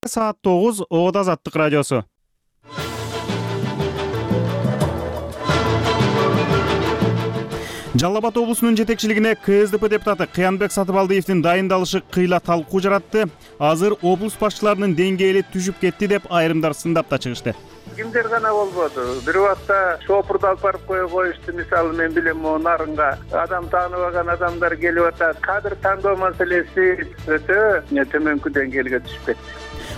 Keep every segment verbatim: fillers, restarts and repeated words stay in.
Саат тогуз Оодо Азаттык радиосу. Жалал Абад облусунун жетекчилигине К С Д П депутаты Кыянбек Сатыбалдиевдин дайындалышы кыйла талкуу жаратты. Азыр облус башчыларынын деңгээли түшүп кетти деп айрымдар сындап да чыгышты. Кимдер гана болбоду. Бир убакта шопурду алып барып кое коюшту. Мисалы мен билем, могу нарынга адам тааныбаган адамдар келип атат. Кадр тандоо маселеси өтө төмөнкү деңгээлге түшүп кетти.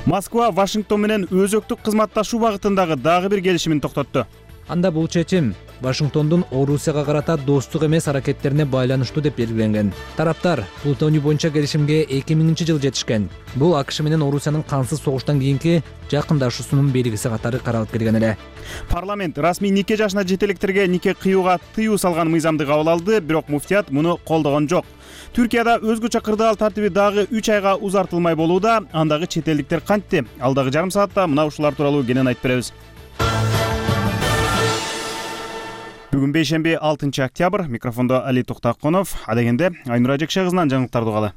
Москва Вашингтон менен өзөктүк кызматташуу багытындагы дагы бир келишимин токтотту. Анда бул чечим Вашингтондун Орусияга карата достук эмес аракеттерине байланыштуу деп белгиленген. Тараптар плутоний боюнча келишимге эки миңинчи жылы жетишкен. Бул АКШ менен Орусиянын кансыз согуштан кийинки жакындашуусунун белгиси катары каралып келген эле. Парламент расмий нике жашына жетелектерге нике кыюуга тыюу салган мыйзамды кабыл алды, бирок муфтият муну колдогон жок. Түркияда өзгөчө кырдаал тартиби дагы үч айга узартылмай болууда. Андагы чет элдиктер кантти? Алдагы жарым саатта мына ушулар тууралуу кенен айтып беребиз. Бүгүн бейшемби алтынчы октябрь. Микрофондо Али Токтаконов. Адегенде Айнура Жекше кызынан жаңылыктарды угалы.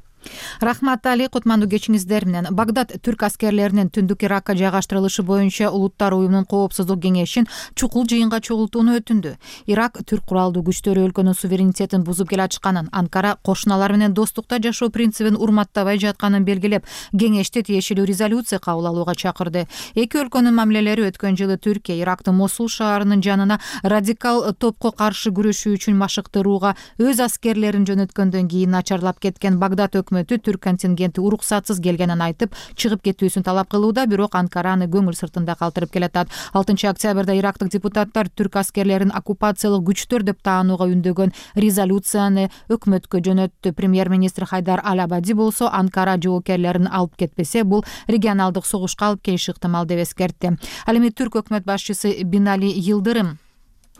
Рахмат, Али. Кутмандуу кечиңиздер менен. Багдад түрк аскерлеринин түндүк Иракка жайгаштырылышы боюнча Улуттар уюмунун коопсуздук кеңешин чукул жыйынга чогултууну өтүндү. Ирак түрк куралдуу күчтөрү өлкөнүн суверенитетин бузуп келатышканын, Анкара кошуналар менен достукта жашоо принцибин урматтабай жатканын белгилеп, кеңешти тиешелүү резолюция кабыл алууга чакырды. Эки өлкөнүн мамилелери өткөн жылы Түркия Ирактын Мосул шаарынын жанына радикал топко каршы күрөшүү үчүн машыктырууга өз аскерлерин жөнөткөндөн кийин начарлап кеткен. Багдад өкмөтү түрк контингенти уруксатсыз келгенин айтып, чыгып кетүүсүн талап кылууда, бирок Анкараны көңүл сыртында калтырып келатат. алтынчы октябрда ирактык депутаттар түрк аскерлерин оккупациялык күчтөр деп таанууга үндөгөн резолюцияны өкмөткө жөнөттү. Премьер-министр Хайдар Ал-Абади болсо, Анкара жоокерлерин алып кетпесе, бул регионалдык согушка алып келиши ыктымал деп эскертти. Ал эми түрк өкмөт башчысы Бинали Йылдырым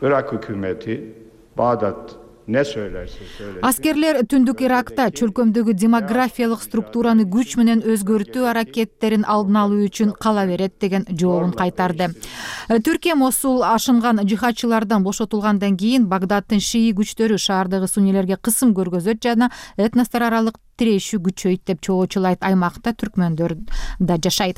Irak hükümeti Bağdat ne söylerse söylesin. Аскерлер түндүк Иракта чөлкөмдөгү демографиялык структураны күч менен өзгөртүү аракеттерин алдын алуу үчүн кала берет деген жообун кайтарды. Түркия Мосул ашынган жихадчылардан бошотулгандан кийин Багдадтын шии күчтөрү шаардагы суннилерге кысым көргөзөт жана этностор аралык тирешүү күчөйт деп чоочулайт. Аймакта түркмөндөр да жашайт.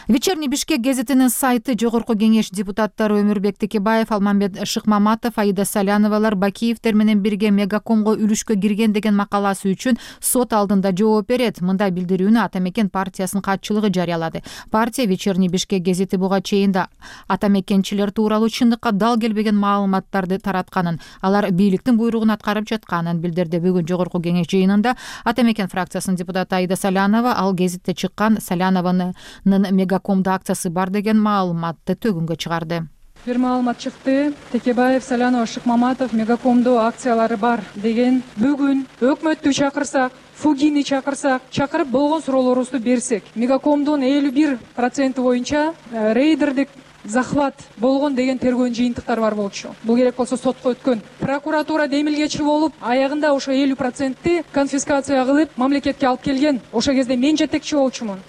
Вечерний Бишкек гезитинин сайты Жогорку кеңеш депутаттары Өмүрбек Текебаев, Алмамбет Шыкмаматов, Аида Саляновалар Бакиевдер менен бирге Мегакомго үлүшкө кирген деген макаласы үчүн сот алдында жооп берет. Мындай билдирүүнү Атамекен партиясынын катчылыгы жарыялады. Партия Вечерний Бишкек гезити буга чейин да атамекенчилер тууралуу чындыкка дал келбеген маалыматтарды таратканын, алар бийликтин буйругун аткарып жатканын билдирди. Бүгүн Жогорку кеңеш жыйынында Атамекен фракциясынын депутаты Аида Салянова ал гезитте чыккан Салянованын Мегакомдо акциясы бар деген маалыматты төгүнгө чыгарды. Бир маалымат чыкты. Текебаев, Салянова, Шыкмаматов Мегакомдо акциялары бар деген. Бүгүн өкмөттү чакырсак, Фугини чакырсак, чакырып болгон суроолорубузду берсек, Мегакомдун элүү бир проценти боюнча рейдердик захват болгон деген тергөөнүн жыйынтыктары бар болчу. Бул керек болсо сотко өткөн. Прокуратура демилгечи болуп, аягында ошо элүү процентти конфискация кылып, мамлекетке алып келген. Ошо кезде мен жетекчи болчумун.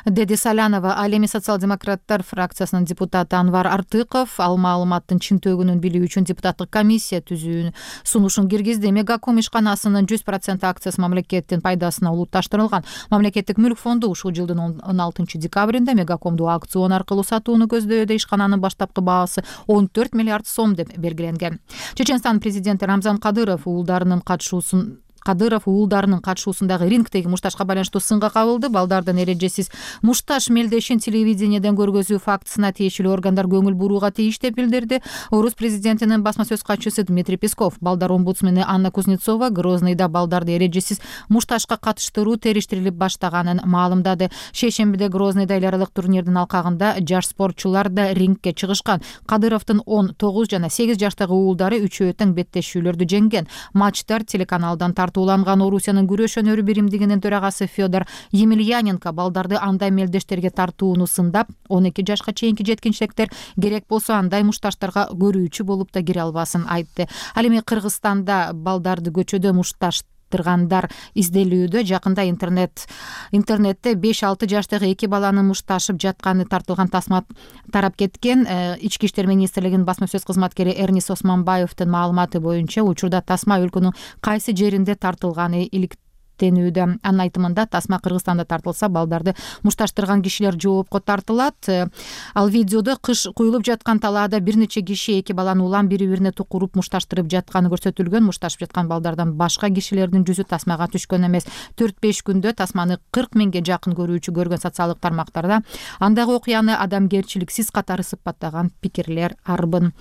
Деди Салянова. Ал эми социал-демократтар фракциясынын депутаты Анвар Артыков ал маалыматтын чын төгүнүн билүү үчүн депутаттык комиссия түзүүнү сунушун киргизди. Мегаком ишканасынын жүз процент акциясы мамлекеттин пайдасына улутташтырылган. Мамлекеттик мүлк фонду ушул жылдын он алтынчы декабрында Мегакомду аукцион аркылуу сатууну көздөөдө. Ишкананын баштапкы баасы он төрт миллиард сом деп белгиленген. Чеченстан президенти Рамзан Кадыров уулдарынын катышуусун Кадыров уулдарынын катышуусундагы рингдеги мушташка байланыштуу сынга кабылды. Балдардын эрежесиз мушташ мелдешин телевидениеден көргөзүү фактысына тиешелүү органдар көңүл бурууга тийиш деп билдирди. Орус президентинин басма сөз катчысы Дмитрий Песков. Балдар омбудсмени Анна Кузнецова Грозныйда балдарды эрежесиз мушташка катыштыруу териштирилип баштаганын маалымдады. Шейшембиде Грозныйда эл аралык турнирдин алкагында жаш спортчулар да рингке чыгышкан. Кадыровдун он тогуз жана сегиз жаштагы уулдары үчөө тең беттешүүлөрдү жеңген. Матчтар телеканалдан тартууланган. Орусиянын күрөш өнөрү биримдигинин төрагасы Федор Емельяненко балдарды андай мелдештерге тартууну сындап, он эки жашка чейинки жеткинчиликтер керек болсо андай мушташтарга көрүүчү болуп да кире албасын айтты. Ал эми Кыргызстанда балдарды көчөдө мушташ тыргандар изделүүдө. Жакында интернет интернетте беш алты жаштагы эки баланын мушташып жатканы тартылган тасма тарап кеткен. Ички иштер министрлигинин басма сөз кызматкери Эрнис Османбаевдин маалыматы боюнча учурда тасма өлкөнүн кайсы жеринде тартылганы илик эсептенүүдө. Анын айтымында тасма Кыргызстанда тартылса, балдарды мушташтырган кишилер жоопко тартылат. Ал видеодо кыш куюлуп жаткан талаада бир нече киши эки баланы улам бири-бирине тукуруп мушташтырып жатканы көрсөтүлгөн. Мушташып жаткан балдардан башка кишилердин жүзү тасмага түшкөн эмес. төрт беш күндө тасманы кырк миңге жакын көрүүчү көргөн социалдык тармактарда андагы окуяны адамгерчиликсиз катары сыпаттаган пикирлер арбын.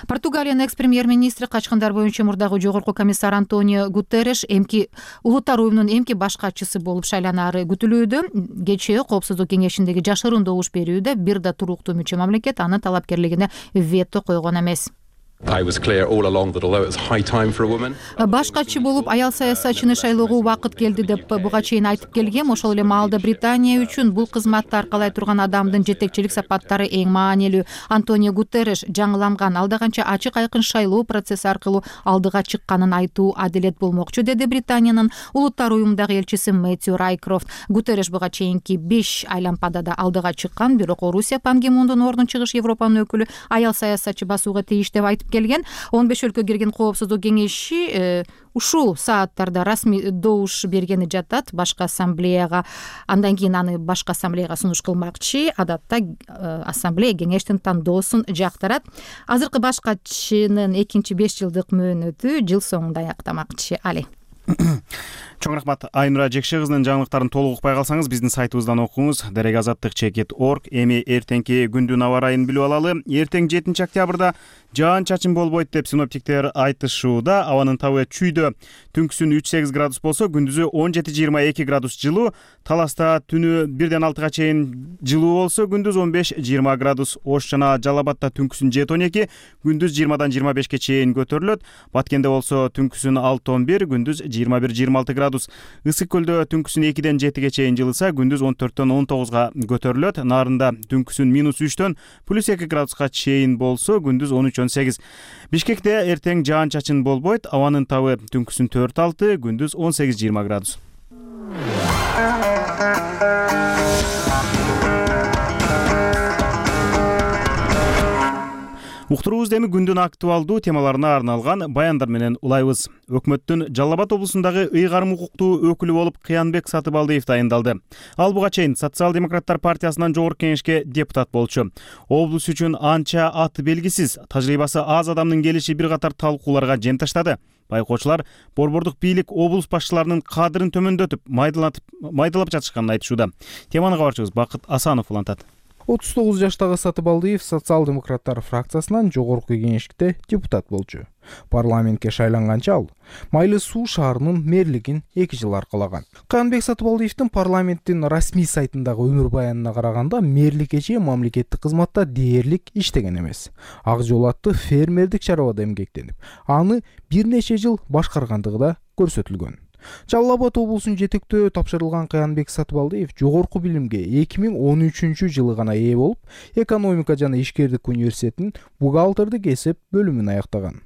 Португалиянын экс-премьер-министри качкындар боюнча мурдагы жогорку комиссар Антонио Гутерреш эмки улуттар уюмунун эмки башкачысы болуп шайланары күтүлүүдө. Кечээ Коопсуздук кеңешиндеги жашыруун добуш берүүдө бир да туруктуу мүчө мамлекет анын талапкерлигине вето койгон эмес. Башкачы болуп аял саясатчыны шайлоого убакыт келди деп буга чейин айтып келгем. Ошол эле маалда Британия үчүн бул кызматты аркалай турган адамдын жетекчилик сапаттары эң маанилүү. Антонио Гутерреш жаңыланган, алда канча ачык айкын шайлоо процесси аркылуу алдыга чыкканын айтуу адилет болмокчу, деди Британиянын улуттар уюмундагы элчиси Мэтью Райкрофт. Гутерреш буга чейинки беш айлампадада алдыга чыккан, бирок Орусия Пан Ги Мундун ордун чыгыш Европанын өкүлү аял саясатчы басууга тийиш деп айтып келген. он беш өлкө кирген Коопсуздук кеңеши э, ушул сааттарда расмий добуш бергени жатат башкы ассамблеяга. Андан кийин аны башкы ассамблеяга сунуш кылмакчы. Адатта э, ассамблея кеңештин тандоосун жактырат. Азыркы башкачынын экинчи беш жылдык мөөнөтү жыл соңунда аяктамакчы. Али. Чоң рахмат. Айнура Жекше кызынын жаңылыктарын толук укпай калсаңыз, биздин сайтыбыздан окуңуз. Дарек азаттык чекит орг. Эми эртеңки күндүн аба ырайын билип алалы. Эртең жетинчи октябрда жаан чачын болбойт деп синоптиктер айтышууда. Абанын табы чүйдө түнкүсүн үч сегиз градус болсо, күндүзү он жети жыйырма эки градус жылуу. Таласта түнү бирден алтыга чейин жылуу болсо, күндүз он беш жыйырма градус. Ош жана Жалал Абадта түнкүсүн жети он эки, күндүз жыйырмадан жыйырма бешке чейин көтөрүлөт. Баткенде болсо түнкүсүн алты он бир, күндүз жыйырма бир жыйырма алты градус. Ысык көлдө түнкүсүн экиден жетиге чейин жылыса, күндүз он төрттөн он тогузга көтөрүлөт. Нарында түнкүсүн минус үчтөн плюс эки градуска чейин болсо, күндүз он үч он сегиз. Бишкекте эртең жаан чачын болбойт. Абанын табы түнкүсүн төрт алты, күндүз он сегиз жыйырма градус. Уктуруубузду эми күндүн актуалдуу темаларына арналган баяндар менен улайбыз. Өкмөттүн Жалал Абад облусундагы ыйгарым укуктуу өкүлү болуп Кыянбек Сатыбалдиев дайындалды. Ал буга чейин Социал-демократтар партиясынан жогорку кеңешке депутат болчу. Облус үчүн анча аты белгисиз, тажрыйбасы аз адамдын келиши бир катар талкууларга жем таштады. Байкоочулар борбордук бийлик облус башчыларынын кадырын төмөндөтүп, майдалатып, майдалап жатышканын айтышууда. Теманы кабарчыбыз Бакыт Асанов улантат. отуз тогуз жаштагы Сатыбалдиев социал-демократтар фракциясынан жогорку кеңеште депутат болчу. Парламентке шайланганча ал Майлы Суу шаарынын мэрлигин эки жыл аркалаган. Кыянбек Сатыбалдиевдин парламенттин расмий сайтындагы өмүр баянына караганда, мэрликке чейин мамлекеттик кызматта дээрлик иштеген эмес. Ак жол аттуу фермердик чарабада эмгектенип, аны бир нече жыл башкаргандыгы да көрсөтүлгөн. Жалал Абад облусун жетектөө тапшырылган Кыянбек Сатыбалдиев жогорку билимге эки миң он үчүнчү жылы гана ээ болуп, экономика жана ишкердик университетинин бухгалтердик эсеп бөлүмүн аяктаган.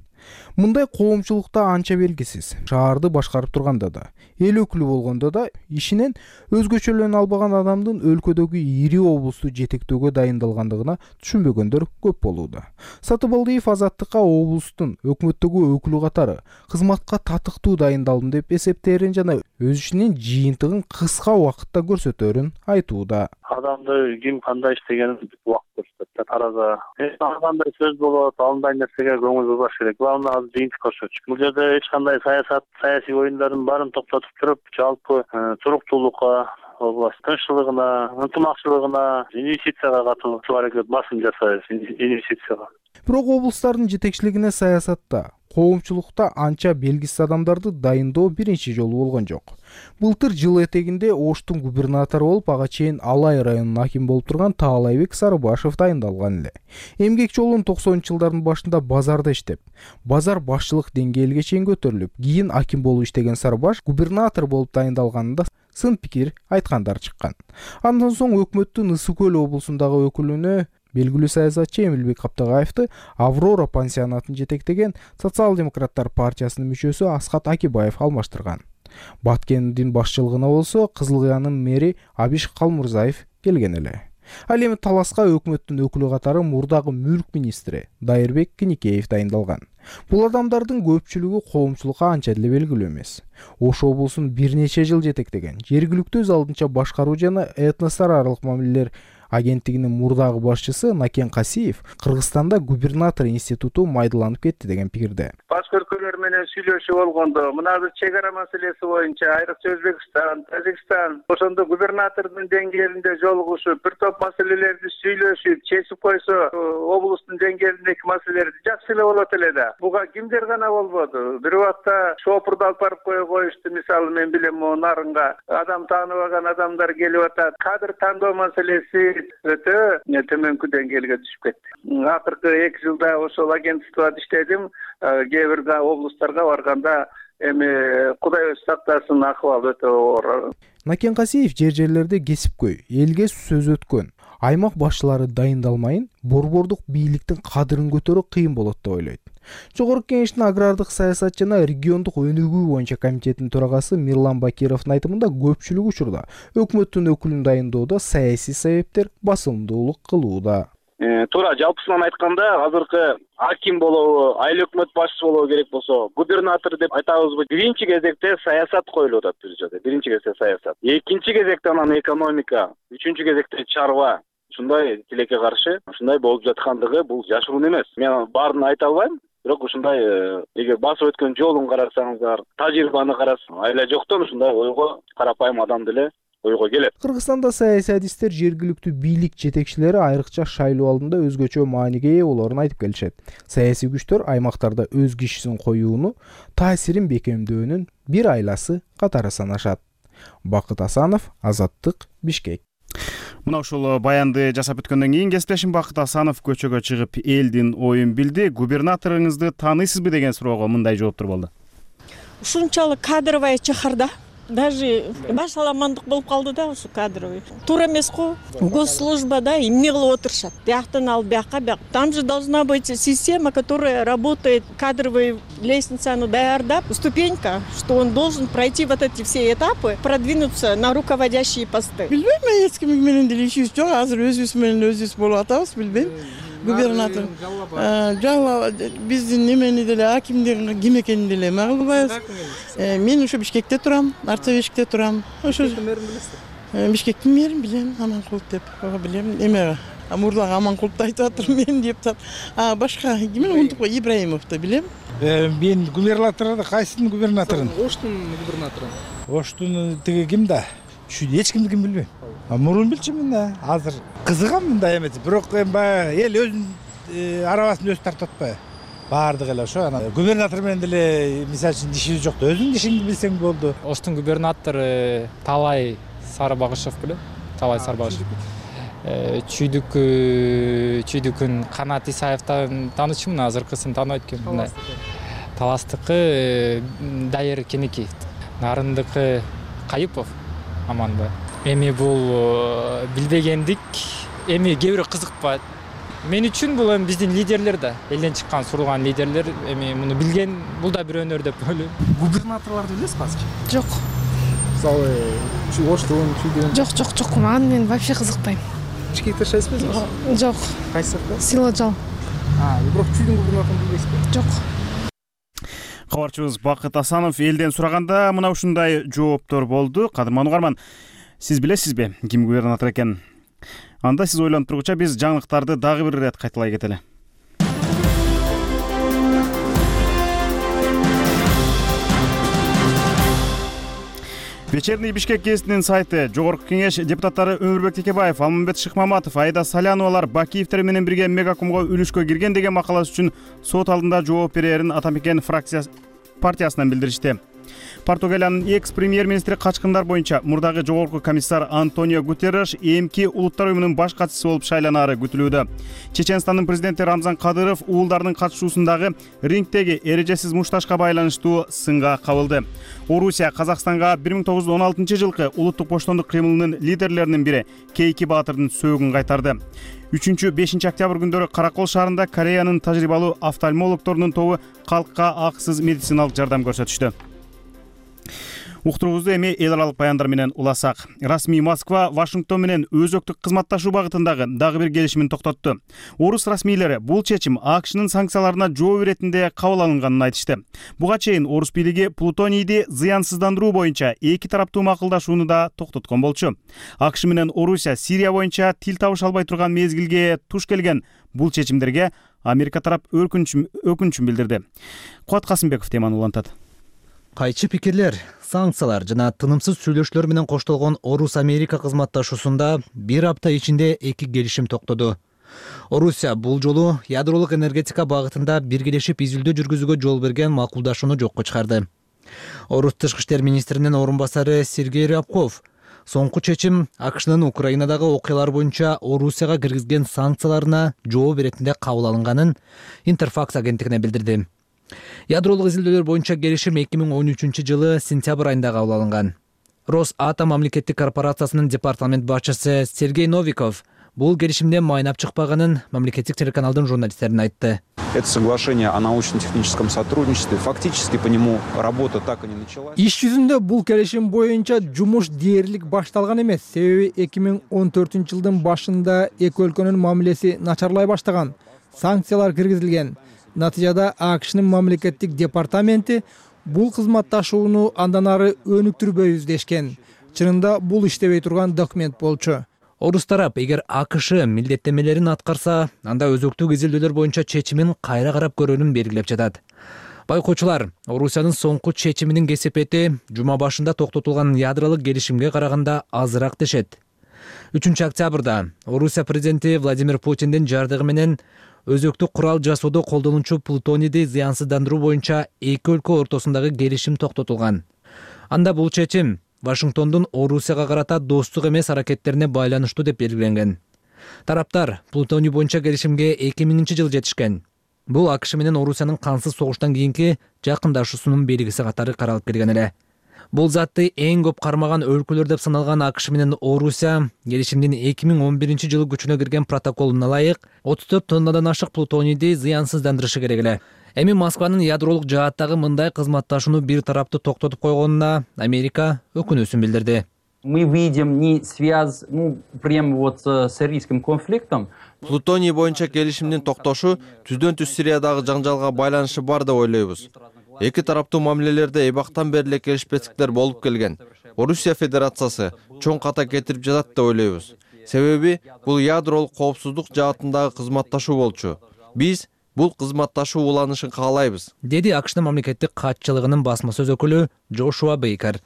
Мындай коомчулукта анча белгисиз. Шаарды башкарып турганда да, эл өкүлү болгондо да ишинен өзгөчөлөнө албаган адамдын өлкөдөгү ири облусту жетектөөгө дайындалгандыгына түшүнбөгөндөр көп болууда. Сатыбалдиев азаттыкка облустун өкмөттөгү өкүлү катары кызматка татыктуу дайындалдым деп эсептерин жана өз ишинин жыйынтыгын кыска убакытта көрсөтөрүн айтууда. Адамды ким кандай иштегенин убакыт көрсөтөт. Тараза кандай сөз болот, андай нерсеге көңүл бурбаш керек. Главное азыр жыйынтык көрсөтүш. Бул жерде эч кандай саясат, саясий оюндардын баарын токтотуп туруп, жалпы туруктуулукка, тынччылыгына, ынтымакчылыгына, инвестицияга катуу аракет басым жасайбыз, инвестицияга. Бирок облустардын жетекчилигине саясатта, коомчулукта анча белгисиз адамдарды дайындоо биринчи жолу болгон жок. Былтыр жыл этегинде Оштун губернатору болуп, ага чейин Алай районунун акими болуп турган Таалайбек Сарыбашев дайындалган эле. Эмгек жолун токсонунчу жылдардын башында базарда иштеп, базар башчылык деңгээлге чейин көтөрүлүп, кийин аким болуп иштеген Сарыбаш губернатор болуп дайындалганында сын пикир айткандар чыккан. Андан соң өкмөттүн Ысык көл облусундагы өкүлүнө белгилүү саясатчы Эмилбек Каптагаевди Аврора пансионатын жетектеген Социал-демократтар партиясынын мүчөсү Аскат Акибаев алмаштырган. Баткендин башчылыгына болсо Кызыл Кыянын мэри Абиш Калмурзаев келген эле. Ал эми таласка өкмөттүн өкүлү катары мурдагы мүлк министри Дайырбек Киникеев дайындалган. Бул адамдардын көпчүлүгү коомчулукка анча деле белгилүү эмес. Ош облусун бир нече жыл жетектеген жергиликтүү өз алдынча башкаруу жана этностор аралык мамилелер агенттигинин мурдагы башчысы Накен Касиев Кыргызстанда губернатор институту майдаланып кетти деген пикирде. Башка өлкөлөр менен сүйлөшүп болгондо мына бир чек ара маселеси боюнча айрыкча Өзбекстан, Тажикстан ошондо губернатордун деңгээлинде жолугушуп, бир топ маселелерди сүйлөшүп, чечип койсо, облустун деңгээлиндеги маселелерди жакшы эле болот эле да. Буга кимдер гана болбоду. Бир убакта шопурду алып барып кое коюшту. Мисалы мен билем, могу Нарынга адам тааныбаган адамдар келип атат. Кадр тандоо маселеси өтө төмөнкү деңгээлге түшүп кетти. Акыркы эки жылда ошол агентствода иштедим. Кээ бир облустарга барганда эми Кудай өзү сактасын, акыбал өтө оор. Накен Касиев жер жерлерде кесипкөй, элге сөз өткөн. Аймак башчылары дайындалмайын, борбордук бийликтин кадырын көтөрүү кыйын болот деп ойлойт. Жогорку кеңештин агрардык саясат жана региондук өнүгүү боюнча комитетинин төрагасы Мирлан Бакировдун айтымында көпчүлүк учурда өкмөттүн өкүлүн дайындоодо саясий себептер басымдуулук кылууда. Туура, жалпысынан айтканда, азыркы аким болобу, айыл өкмөт башчысы болобу керек болсо, губернатор деп айтабызбы, биринчи кезекте саясат коюлуп атат бир жерде. Биринчи кезекте саясат. Экинчи кезекте анан экономика, үчүнчү кезекте чарба. Ушундай тилекке каршы, ушундай болуп жаткандыгы бул жашыруун эмес. Мен баарын айта албайм. Бирок ушундай эгер басып өткөн жолун карасаңыздар, тажрыйбаны карасаңыз, айла жоктон ушундай ойго карапайым адам деле ойго келет. Кыргызстанда саясий адистер жергиликтүү бийлик жетекчилери айрыкча шайлоо алдында өзгөчө мааниге ээ болоорун айтып келишет. Саясий күчтөр аймактарда өз кишисин коюуну, таасирин бекемдөөнүн бир айласы катары санашат. Бакыт Асанов, Азаттык, Бишкек. Мына ушул баянды жасап өткөндөн кийин кесиптешим Бакыт Асанов көчөгө чыгып элдин оюн билди. Губернаторуңузду тааныйсызбы деген суроого мындай жооптор болду. Ушунчалык кадровая чыхарда. Даже баш аламандык болуп калды да ушу кадровый. Туура эмес го. Госслужбада эмне кылып отурушат? Бияктан алып бияка, бияк. Там же должна быть система, которая работает, кадровый лестницаны даярдап, ступенька, что он должен пройти вот эти все этапы, продвинуться на руководящие посты. Билбейм, мен эч ким менен деле ишибиз жок. Азыр өзүбүз менен өзүбүз болуп атабыз, билбейм. Губернатор жалла биздин немени деле акимдерин ким экенин деле эме кылбайбыз. Мен ошо Бишкекте турам, Арцабешикте турам. Ошо Бишкектин мэрин билем, Аманкулов деп билем. Эме Мурлан Аманкуловду айтып атырмын мен деп тап. А башка кимин унутуп кой, Ибраимовду билем. Мен губернаторду, кайсынын губернаторун? Оштун губернатору. Оштун тиги ким да? Эч кимди ким билбейм. Мурун билчүмүн да. Азыр кызыгам мындай эмес. Бирок баягы эл өзүнүн арабасын өзү тартып атпайбы? Баардыгы эле ошо. Анан губернатор менен деле мисалы үчүн дишибиз жок да. Өзүңдүн дишиңди билсең болду. Оштун губернатору Талай Сарыбагышев беле? Талай Сарыбагышев. Чүйдүк чүйдүкүн Канат Исаевден таанычумун, азыркысын тааныбайт экенмин. Таластыкы Дайыр Кенеки, Нарындыкы Кайыпов Аманбай. Эми бул билбегендик, эми кээ бирөө кызыкпайт. Мен үчүн бул эми биздин лидерлер да, элден чыккан сурулган лидерлер, эми муну билген, бул да бир өнөр деп ойлойм. Губернаторлорду билесизби азыр? Жок. Мисалы, Оштун, Чүйдүн. Жок, жок, жок. Мага мен вообще кызыкпайм. Бишкекте жашайсызбы? Жок. Кайсы жакта? Силажал. А, бирок Чүйдүн губернаторун билбейсизби? Жок. Кабарчыбыз Бакыт Асанов элден сураганда мына ушундай жооптор болду. Кадырман угарман, сиз билесизби ким губернатор экенин? Анда сиз ойлонуп тургуча биз жаңылыктарды дагы бир ирет кайталай кетели. Вечерний Бишкек гезитинин сайты, Жогорку кеңеш депутаттары Өмүрбек Текебаев, Алмамбет Шыкмаматов, Айда Саляновалар Бакиевтер менен бирге мегакомго үлүшкө кирген деген макаласы үчүн сот алдында жооп берерин Атамекен фракция партиясынан билдиришти. Португалиянын экс-премьер-министри качкындар боюнча мурдагы жогорку комиссар Антонио Гутерреш эмки улуттар уюмунун баш катчысы болуп шайланары күтүлүүдө. Чеченстандын президенти Рамзан Кадыров уулдардын катышуусундагы рингдеги эрежесиз мушташка байланыштуу сынга кабылды. Орусия Казакстанга бир миң тогуз жүз он алтынчы жылкы улуттук боштондук кыймылынын лидерлеринин бири Кейки Баатырдын сөөгүн кайтарды. үчүнчү бешинчи октябрь күндөрү Каракол шаарында Кореянын тажрыйбалуу офтальмологторунун тобу калкка акысыз медициналык жардам көрсөтүштү. Уктуруубузду эми эл аралык баяндар менен уласак. Расмий Москва Вашингтон менен өзөктүк кызматташуу багытындагы дагы бир келишимин токтотту. Орус расмийлери бул чечим АКШнын санкцияларына жооп иретинде кабыл алынганын айтышты. Буга чейин орус бийлиги плутонийди зыянсыздандыруу боюнча эки тараптуу макулдашууну да токтоткон болчу. АКШ менен Орусия Сирия боюнча тил табыша албай турган мезгилге туш келген бул чечимдерге Америка тарап өкүнүчүн билдирди. Куат Касымбеков теманы улантат. Кайчы пикирлер, санкциялар жана тынымсыз сүйлөшүүлөр менен коштолгон Орус-Америка кызматташуусунда бир апта ичинде эки келишим токтоду. Орусия бул жолу ядролук энергетика багытында биргелешип изилдөө жүргүзүүгө жол берген макулдашууну жокко чыгарды. Орус тышкы иштер министринин орун басары Сергей Рябков соңку чечим АКШнын Украинадагы окуялар боюнча Орусияга киргизген санкцияларына жооп беретинде кабыл алынганын Интерфакс агенттигине билдирди. Ядролук изилдөөлөр боюнча келишим эки миң он үчүнчү жылы сентябрь айында кабыл алынган. Росатом мамлекеттик корпорациясынын департамент башчысы Сергей Новиков бул келишимде майнап чыкпаганын мамлекеттик телеканалдын журналисттерине айтты. Это соглашение о научно-техническом сотрудничестве. Фактически по нему работа так и не началась. Иш жүзүндө бул келишим боюнча жумуш дээрлик башталган эмес. Себеби эки миң он төртүнчү жылдын башында эки өлкөнүн мамилеси начарлай баштаган. Санкциялар киргизилген. Натыйжада АКШнын мамлекеттик департаменти бул кызматташууну андан ары өнүктүрбөйбүз дешкен. Чынында бул иштебей турган документ болчу. Орус тарап эгер АКШ милдеттемелерин аткарса, анда өзөктүк изилдөөлөр боюнча чечимин кайра карап көрүүнүн белгилеп жатат. Байкоочулар, Орусиянын соңку чечиминин кесепети жума башында токтотулган ядролук келишимге караганда азыраак дешет. үчүнчү октябрда Орусия президенти Владимир Путиндин жардыгы менен өзөктүк курал жасоодо колдонуучу плутонийди зыянсыздандыруу боюнча эки өлкө ортосундагы келишим токтотулган. Анда бул чечим Вашингтондун Орусияга карата достук эмес аракеттерине байланыштуу деп белгиленген. Тараптар плутоний боюнча келишимге эки миңинчи жылы жетишкен. Бул АКШ менен Орусиянын кансыз согуштан кийинки жакындашуусунун белгиси катары каралып келген эле. Бул затты эң көп кармаган өлкөлөр деп саналган АКШ менен Орусия келишимдин эки миң он биринчи жылы күчүнө кирген протоколуна ылайык отуз төрт тоннадан ашык плутонийди зыянсыздандырышы керек эле. Эми Москванын ядролук жааттагы мындай кызматташууну бир тараптуу токтотуп койгонуна Америка өкүнүүсүн билдирди. Мы видим не связь, ну, прямо вот с сирийским конфликтом. Плутоний боюнча келишимдин токтошу түздөн түз Сириядагы жаңжалга байланышы бар деп ойлойбуз. Эки тараптуу мамилелерде эбактан бери эле келишпестиктер болуп келген. Орусия Федерациясы чоң ката кетирип жатат деп ойлойбуз. Себеби бул ядролук коопсуздук жаатындагы кызматташуу болчу. Биз бул кызматташуу уланышын каалайбыз, деди АКШнын мамлекеттик катчылыгынын басма сөз өкүлү Джошуа Бейкер.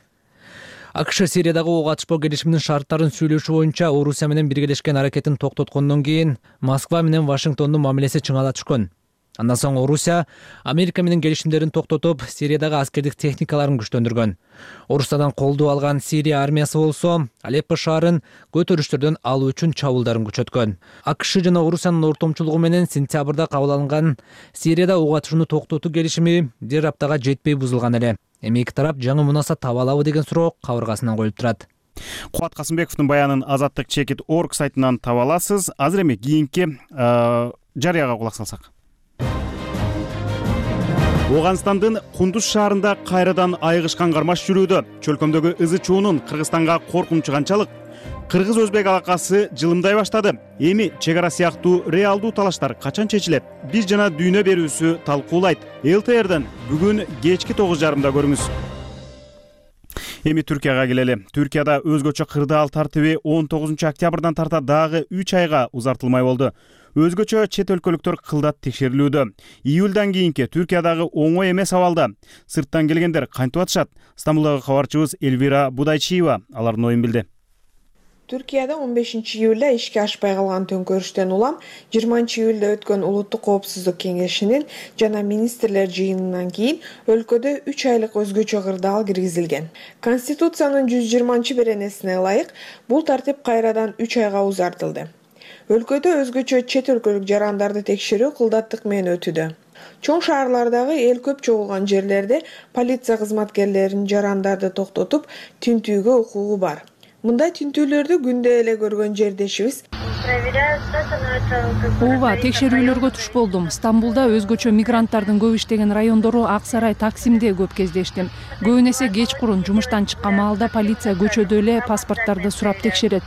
АКШ Сириядагы ок атышпоо келишиминин шарттарын сүйлөшүү боюнча Орусия менен биргелешкен аракетин токтоткондон кийин Москва менен Вашингтондун мамилеси чыңала түшкөн. Андан соң Орусия Америка менен келишимдерин токтотуп, Сириядагы аскердик техникаларын күчтөндүргөн. Орусиядан колдоо алган Сирия армиясы болсо Алеппо шаарын көтөрүштөрдөн алуу үчүн чабуулдарын күчөткөн. АКШ жана Орусиянын ортомчулугу менен сентябрда кабыл алынган Сирияда ок атышууну токтотуу келишими бир аптага жетпей бузулган эле. Эми эки тарап жаңы мунасат таба алабы деген суроо кабыргасынан коюлуп турат. Куат Касымбековдун баянын азаттык чекит точка орг сайтынан таба аласыз. Азыр эми кийинки жарыяга кулак салсак. Оганстандын Кундуз шаарында кайрадан айгышкан кармаш жүрүүдө. Чөлкөмдөгү ызы чуунун Кыргызстанга коркунучу канчалык? Кыргыз-өзбек алакасы жылымдай баштады. Эми чек ара сыяктуу реалдуу талаштар качан чечилет? Биз жана дүйнө берүүсү талкуулайт. эл тэ эрден бүгүн кечки тогуз жарымда көрүңүз. Эми Түркияга келели. Түркияда өзгөчө кырдаал тартиби он тогузунчу октябрдан тарта дагы үч айга узартылмай болду. Өзгөчө чет өлкөлүктөр кылдат текшерилүүдө. Июлдан кийинки Түркиядагы оңой эмес абалда сырттан келгендер кантип атышат? Стамбулдагы кабарчыбыз Эльвира Будайчиева алардын оюн билди. Түркияда он бешинчи июлда ишке ашпай калган төңкөрүштөн улам жыйырманчы июлда өткөн Улуттук коопсуздук кеңешинин жана министрлер жыйынынан кийин өлкөдө үч айлык өзгөчө кырдаал киргизилген. Конституциянын жүз жыйырманчы беренесине ылайык бул тартип кайрадан үч айга узартылды. Өлкөдө өзгөчө чет өлкөлүк жарандарды текшерүү кылдаттык менен өтүүдө. Чоң шаарлардагы эл көп чогулган жерлерде полиция кызматкерлеринин жарандарды токтотуп, тинтүүгө укугу бар. Мындай тинтүүлөрдү күндө эле көргөн жердешибиз ооба, текшерүүлөргө туш болдум. Стамбулда өзгөчө мигранттардын көп иштеген райондору Ак Сарай, Таксимде көп кездештим. Көбүн эсе кечкурун жумуштан чыккан маалда полиция көчөдө эле паспорттарды сурап текшерет,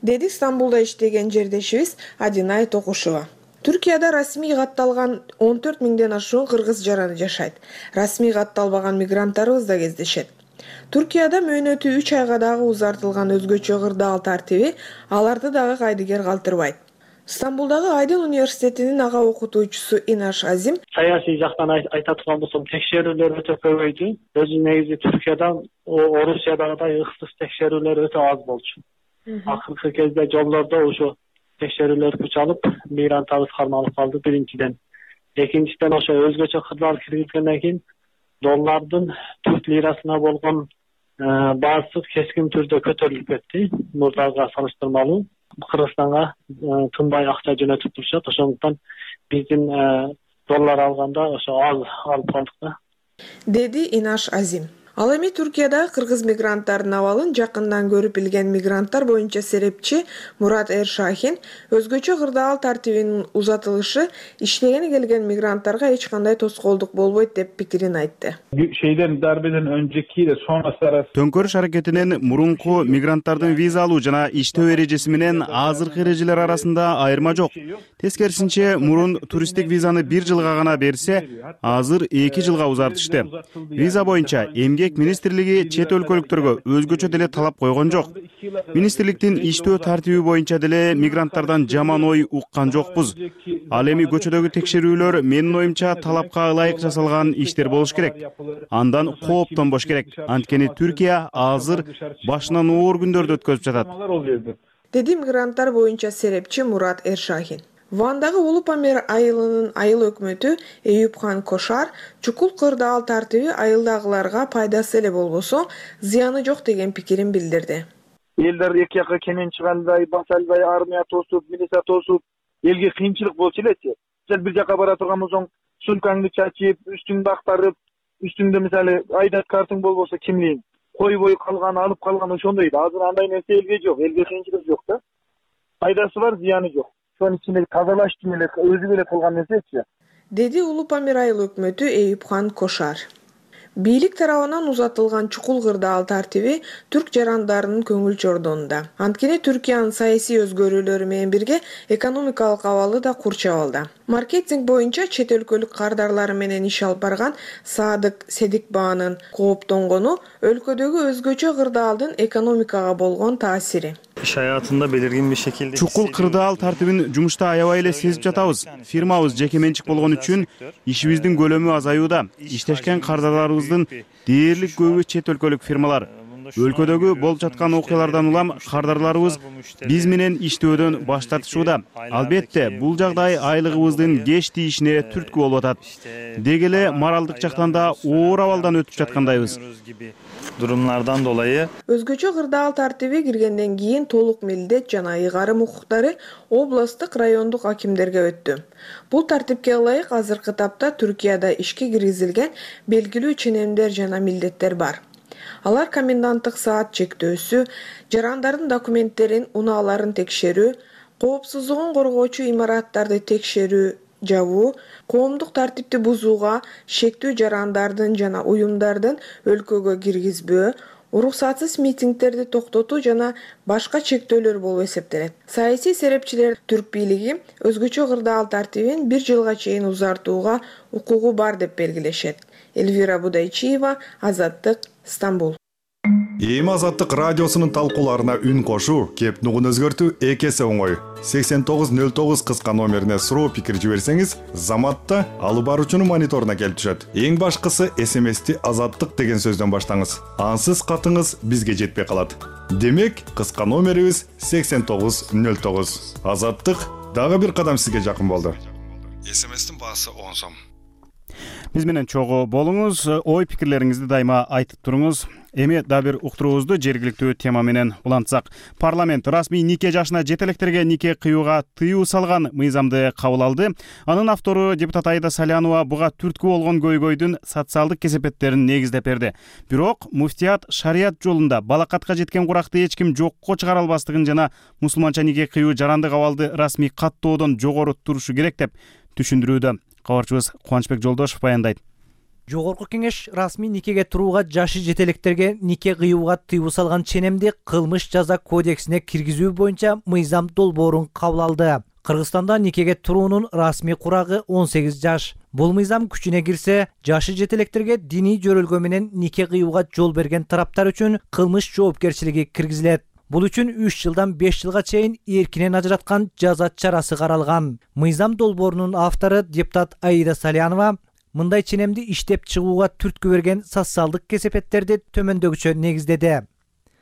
деди Стамбулда иштеген жердешибиз Адинай Токушева. Түркияда расмий катталган он төрт миңден ашуун кыргыз жараны жашайт. Расмий катталбаган мигранттарыбыз да кездешет. Түркияда мөөнөтү үч айга дагы узартылган өзгөчө кырдаал тартиби аларды дагы кайдыгер калтырбайт. Стамбулдагы Айдын университетинин ага окутуучусу Инаш Азим: саясий жактан айта турган болсом, текшерүүлөр өтө көбөйдү. Өзү негизи Түркиядан Орусиядагыдай ыксыз текшерүүлөр өтө аз болчу. Акыркы кезде жолдордо ошо текшерүүлөр күч алып, мигрант табыс кармалып калды биринчиден. Экинчиден ошо өзгөчө кырдаал киргизгенден кийин доллардын түрк лирасына болгон баасы кескин түрдө көтөрүлүп кетти. Мурдага салыштырмалуу Кыргызстанга тынбай акча жөнөтүп турушат. Ошондуктан биздин доллар алганда ошо аз алып калдык да, деди Инаш Азим. Ал эми Түркияда кыргыз мигранттардын абалын жакындан көрүп билген мигранттар боюнча серепчи Мурат Эршахин өзгөчө кырдаал тартибинин узатылышы иштегени келген мигранттарга эч кандай тоскоолдук болбойт деп пикирин айтты. Şeyden darbeden öncekiyle sonrası arası Төңкөрүш аракетинен мурунку мигранттардын виза алуу жана иштөө эрежеси менен азыркы эрежелер арасында айырма жок. Тескерисинче, мурун туристтик визаны бир жылга гана берсе, азыр эки жылга узартышты. Виза боюнча эмгек министрлиги чет өлкөлүктөргө өзгөчө деле талап койгон жок. Министрликтин иштөө тартиби боюнча деле мигранттардан жаман ой уккан жокпуз. Ал эми көчөдөгү текшерүүлөр менин оюмча талапка ылайык жасалган иштер болуш керек. Андан кооптонбош керек. Анткени Түркия азыр башынан оор күндөрдү өткөзүп жатат, деди мигранттар боюнча серепчи Мурат Эршахин. Вандагы Улуп Амир айылынын айыл өкмөтү Эюпхан Кошар чукул кырдаал тартиби айылдагыларга пайдасы эле болбосо, зыяны жок деген пикирин билдирди. Элдер эки жакка кенен чыгандай, баса албай армия тосуп, милиция тосуп, элге кыйынчылык болчу элечи. Сен бир жака бара турган болсоң, сумкаңды чачып, үстүңдү актарып, үстүңдө мисалы айдат картың болбосо кимлигиң койбой калган, алып калган ошондой. Азыр андай нерсе элге жок, элге кыйынчылык жок да. Пайдасы бар, зыяны жок. Ошонун ичинде тазалаш эле өзү эле кылган нерсечи, деди Улуп Амир айыл өкмөтү Эюпхан Кошар. Бийлик тарабынан узатылган чукул кырдаал тартиби түрк жарандарынын көңүл чордонунда. Анткени Түркиянын саясий өзгөрүүлөрү менен бирге экономикалык абалы да курчабалда. Маркетинг боюнча чет өлкөлүк кардарлары менен иш алып барган Садык Седикбаанын кооптонгону өлкөдөгү өзгөчө кырдаалдын экономикага болгон таасири. Иш аятында белирген bir şekilde чукул кырдаал тартибин жумушта аябай эле сезип жатабыз. Фирмабыз жеке менчик болгон үчүн ишибиздин көлөмү азаюуда. Иштешкен кардарларыбыздын дээрлик көбү чет өлкөлүк фирмалар. Өлкөдөгү болуп жаткан окуялардан улам кардарларыбыз биз менен иштөөдөн баш тартышууда. Албетте, бул жагдай айлыгыбыздын кеч тийишине түрткү болуп атат. Деги эле моралдык жактан да оор абалдан өтүп жаткандайбыз. Durumlardan dolayı өзгөчө кырдаал тартиби киргенден кийин толук милдет жана ыйгарым укуктары областтык, райондук акимдерге өттү. Бул тартипке ылайык азыркы тапта Түркияда ишке киргизилген белгилүү ченемдер жана милдеттер бар. Алар коменданттык саат чектөөсү, жарандардын документтерин, унааларын текшерүү, коопсуздугун коргоочу имараттарды текшерүү, жабуу, коомдук тартипти бузууга, шектүү жарандардын жана уюмдардын өлкөгө киргизбөө, уруксатсыз митингдерди токтотуу жана башка чектөөлөр болуп эсептелет. Саясий серепчилер түрк бийлиги өзгөчө кырдаал тартибин бир жылга чейин узартууга укугу бар деп белгилешет. Эльвира Будайчиева, Азаттык, Стамбул. Эми Азаттык радиосунун талкууларына үн кошуу, кеп нугун өзгөртүү эки эсе оңой. сексен тогуз нөл тогуз кыска номерине суроо пикир жиберсеңиз, Заматта алып баруучунун мониторуна келип түшөт. Эң башкысы эс эм эсти Азаттык деген сөздөн баштаңыз. Ансыз катыңыз бизге жетпей калат. Демек, кыска номерибиз сексен тогуз нөл тогуз. Азаттык дагы бир кадам сизге жакын болду. эс эм эстин баасы он сом. Биз менен чогуу болуңуз, ой пикирлериңизди дайыма айтып туруңуз. Эми дагы бир уктуруубузду жергиликтүү тема менен улантсак. Парламент расмий нике жашына жете электерге нике кыюуга тыюу салган мыйзамды кабыл алды. Анын автору депутат Аида Салянова буга түрткү болгон көйгөйдүн социалдык кесепеттерин негиздеп берди. Бирок муфтият шарият жолунда балакатка жеткен куракты эч ким жокко чыгара албастыгын жана мусулманча нике кыюу жарандык абалды расмий каттоодон жогору турушу керек деп түшүндүрүүдө. Кабарчыбыз Кубанычбек Жолдошов баяндайт. Жогорку кеңеш расмий никеге турууга жашы жете электерге нике кыюуга тыюу салган ченемди кылмыш жаза кодексине киргизүү боюнча мыйзам долбоорун кабыл алды. Кыргызстанда никеге туруунун расмий курагы он сегиз жаш. Бул мыйзам күчүнө кирсе, жашы жете электерге диний жөрөлгө менен нике кыюуга жол берген тараптар үчүн кылмыш жоопкерчилиги киргизилет. Бул үчүн үч жылдан беш жылга чейин эркинен ажыраткан жаза чарасы каралган. Мыйзам долбоорунун автору депутат Аида Салянова мындай ченемди иштеп чыгууга түрткү берген социалдык кесепеттерди төмөндөгүчө негиздеди.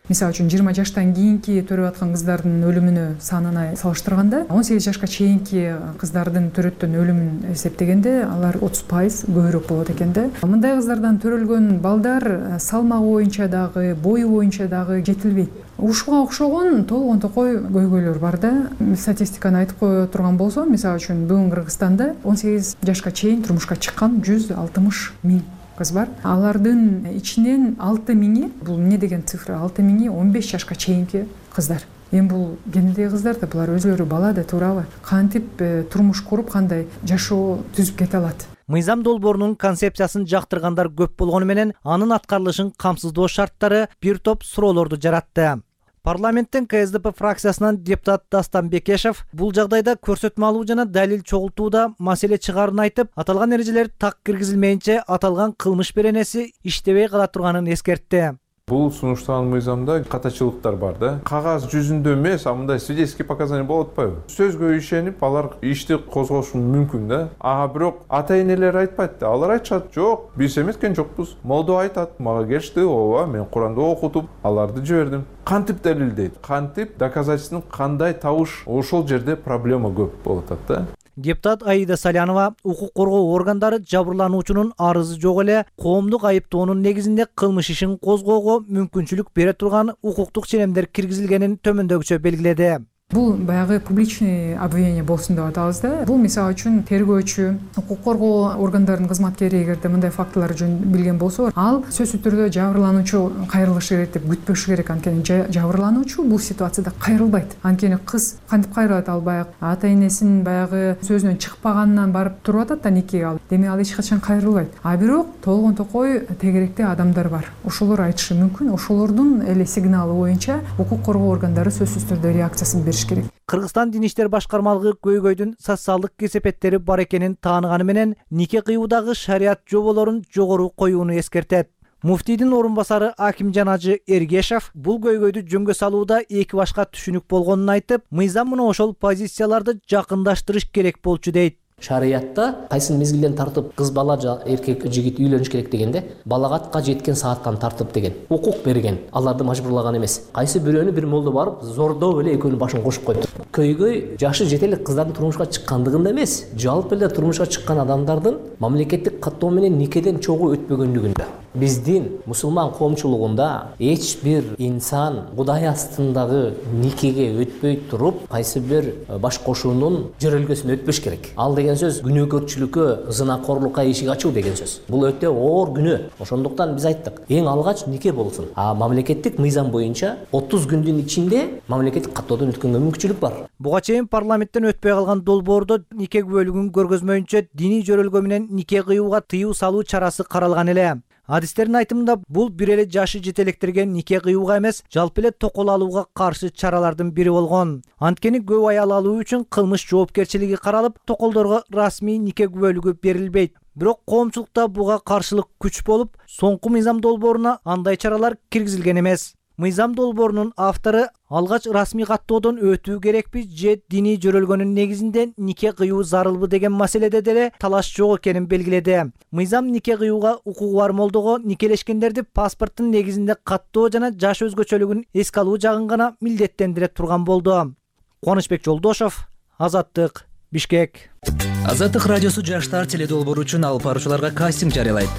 Мисалы үчүн жыйырма жаштан кийинки төрөп аткан кыздардын өлүмүнө санына салыштырганда он сегиз жашка чейинки кыздардын төрөттөн өлүмүн эсептегенде алар отуз пайыз көбүрөөк болот экен да. Мындай кыздардан төрөлгөн балдар салмагы боюнча дагы, бою боюнча дагы жетилбейт. Ушуга окшогон толгон токой көйгөйлөр бар да. Статистиканы айтып кое турган болсом, мисалы үчүн бүгүн Кыргызстанда он сегиз жашка чейин турмушка чыккан жүз алтымыш миң кыз бар. Алардын ичинен алты миңи, бул эмне деген цифра, алты миңи он беш жашка чейинки кыздар. Эми бул кенедеги кыздар да, булар өзүлөрү бала да, туурабы? Кантип турмуш куруп, кандай жашоо түзүп кете алат? Мыйзам долбоорунун концепциясын жактыргандар көп болгону менен анын аткарылышын камсыздоо шарттары бир топ суроолорду жаратты. Парламенттин ка эс дэ пэ фракциясынан депутат Дастан Бекешев бул жагдайда көрсөтмө алуу жана далил чогултууда маселе чыгаарын айтып, аталган эрежелер так киргизилмейинче аталган кылмыш беренеси иштебей кала турганын эскертти. Бул сунуштаган мыйзамда катачылыктар бар да. Кагаз жүзүндө эмес, а мындай свидетельский показания болуп атпайбы? Сөзгө ишенип, алар ишти козгошу мүмкүн да. А бирок ата-энелер айтпайт да. Алар айтышат, жок, биз эметкен жокпуз. Молдо айтат, мага келишти, ооба, мен Куранды окутуп, аларды жибердим. Кантип далилдейт? Кантип доказательствонун кандай табыш? Ошол жерде проблема көп болуп атат да. Депутат Аида Салянова укук коргоо органдары жабырлануучунун арызы жок эле коомдук айыптоонун негизинде кылмыш ишин козгоого мүмкүнчүлүк бере турган укуктук ченемдер киргизилгенин төмөндөгүчө белгиледи. Бул баягы публичный обвинение болсун деп атабыз да. Бул мисалы үчүн тергөөчү, укук коргоо органдарынын кызматкери эгерде мындай фактылар жөнүндө билген болсо, ал сөзсүз түрдө жабырлануучу кайрылышы керек деп күтпөшү керек. Анткени жабырлануучу бул ситуацияда кайрылбайт. Анткени кыз кантип кайрылат, ал баягы ата-энесинин баягы сөзүнөн чыкпаганынан барып туруп атат да никеге алып. Демек ал эч качан кайрылбайт. А бирок толгон токой тегеректе адамдар бар. Ошолор айтышы мүмкүн. Ошолордун эле сигналы боюнча укук коргоо органдары сөзсүз түрдө реакциясын бериши керек. Кыргызстан Дин иштер башкармалыгы көйгөйдүн социалдык кесепеттери бар экенин тааныганы менен нике кыюудагы шарият жоболорун жогору коюуну эскертет. Муфтийдин орун басары Акимжан Ажы Эргешев бул көйгөйдү жөнгө салууда эки башка түшүнүк болгонун айтып, мыйзам мына ошол позицияларды жакындаштырыш керек болчу дейт. Шариятта кайсы мезгилден тартып кыз бала эркек жигит үйлөнүш керек дегенде балагатка жеткен сааттан тартып деген укук берген, аларды мажбурлаган эмес. Кайсы бирөөнү бир молдо барып зордоо эле экөөнүн башын кошуп койду. Көйгөй жашы жете элек кыздардын турмушка чыккандыгында эмес, жалпы эле турмушка чыккан адамдардын мамлекеттик каттоо менен никеден чогуу өтпөгөндүгүндө. Биздин мусулман коомчулугунда эч бир инсан Кудай астындагы никеге өтпөй туруп, кайсы бир баш кошуунун жөрөлгөсүнө өтпөш керек. Ал деген сөз күнөөкөрчүлүккө, зынакорлукка эшик ачуу деген сөз. Бул өтө оор күнөө. Ошондуктан биз айттык, эң алгач нике болсун. А мамлекеттик мыйзам боюнча отуз күндүн ичинде мамлекеттик каттоодон өткөнгө мүмкүнчүлүк бар. Буга чейин парламенттен өтпөй калган долбоордо нике күбөлүгүн көргөзмөйүнчө диний жөрөлгө менен нике кыюуга тыюу салуу чарасы каралган эле. Адистердин айтымында бул бир эле жашы жете электерге нике кыюуга эмес, жалпы эле токол алууга каршы чаралардын бири болгон. Анткени көп аял алуу үчүн кылмыш жоопкерчилиги каралып, токолдорго расмий нике күбөлүгү берилбейт. Бирок коомчулукта буга каршылык күч болуп, соңку мыйзам долбооруна андай чаралар киргизилген эмес. Мыйзам долбоорунун автору алгач расмий каттоодон өтүү керекпи же диний жөрөлгөнүн негизинде нике кыюу зарылбы деген маселеде деле талаш жок экенин белгиледи. Мыйзам нике кыюуга укугу бар молдого никелешкендерди паспорттун негизинде каттоо жана жаш өзгөчөлүгүн эске алуу жагын гана милдеттендире турган болду. Кубанычбек Жолдошов, Азаттык, Бишкек. Азаттык радиосу жаштар теледолбоору үчүн алып баруучуларга кастинг жарыялайт.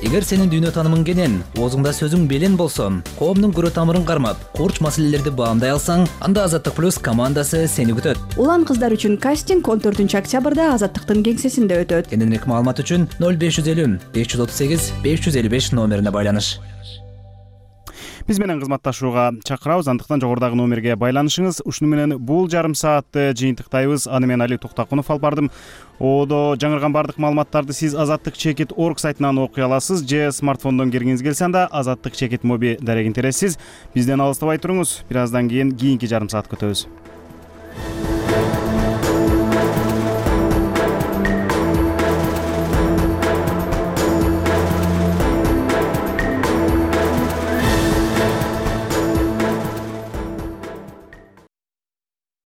эгер сенин дүйнө таанымың кенен, оозуңда сөзүң белен болсо, коомдун көрө тамырын кармап, курч маселелерди баамдай алсаң, анда Азаттык плюс командасы сени күтөт. Улан кыздар үчүн кастинг он төртүнчү октябрда Азаттыктын кеңсесинде өтөт. Кененирээк маалымат үчүн ноль беш жүз элүү беш жүз отуз сегиз беш жүз элүү беш номерине байланыш. Биз менен кызматташууга чакырабыз, андыктан жогорудагы номерге байланышыңыз. Ушуну менен бул жарым саатты жыйынтыктайбыз. Аны мен Али Токтакунов алып бардым. Оодо жаңырган бардык маалыматтарды сиз азаттык чекит точка орг сайтынан окуй аласыз же смартфондон киргиңиз келсе анда азаттык чекит моби дарегин тересиз. Бизден алыстабай туруңуз. Бир аздан кийин кийинки жарым саатка өтөбүз.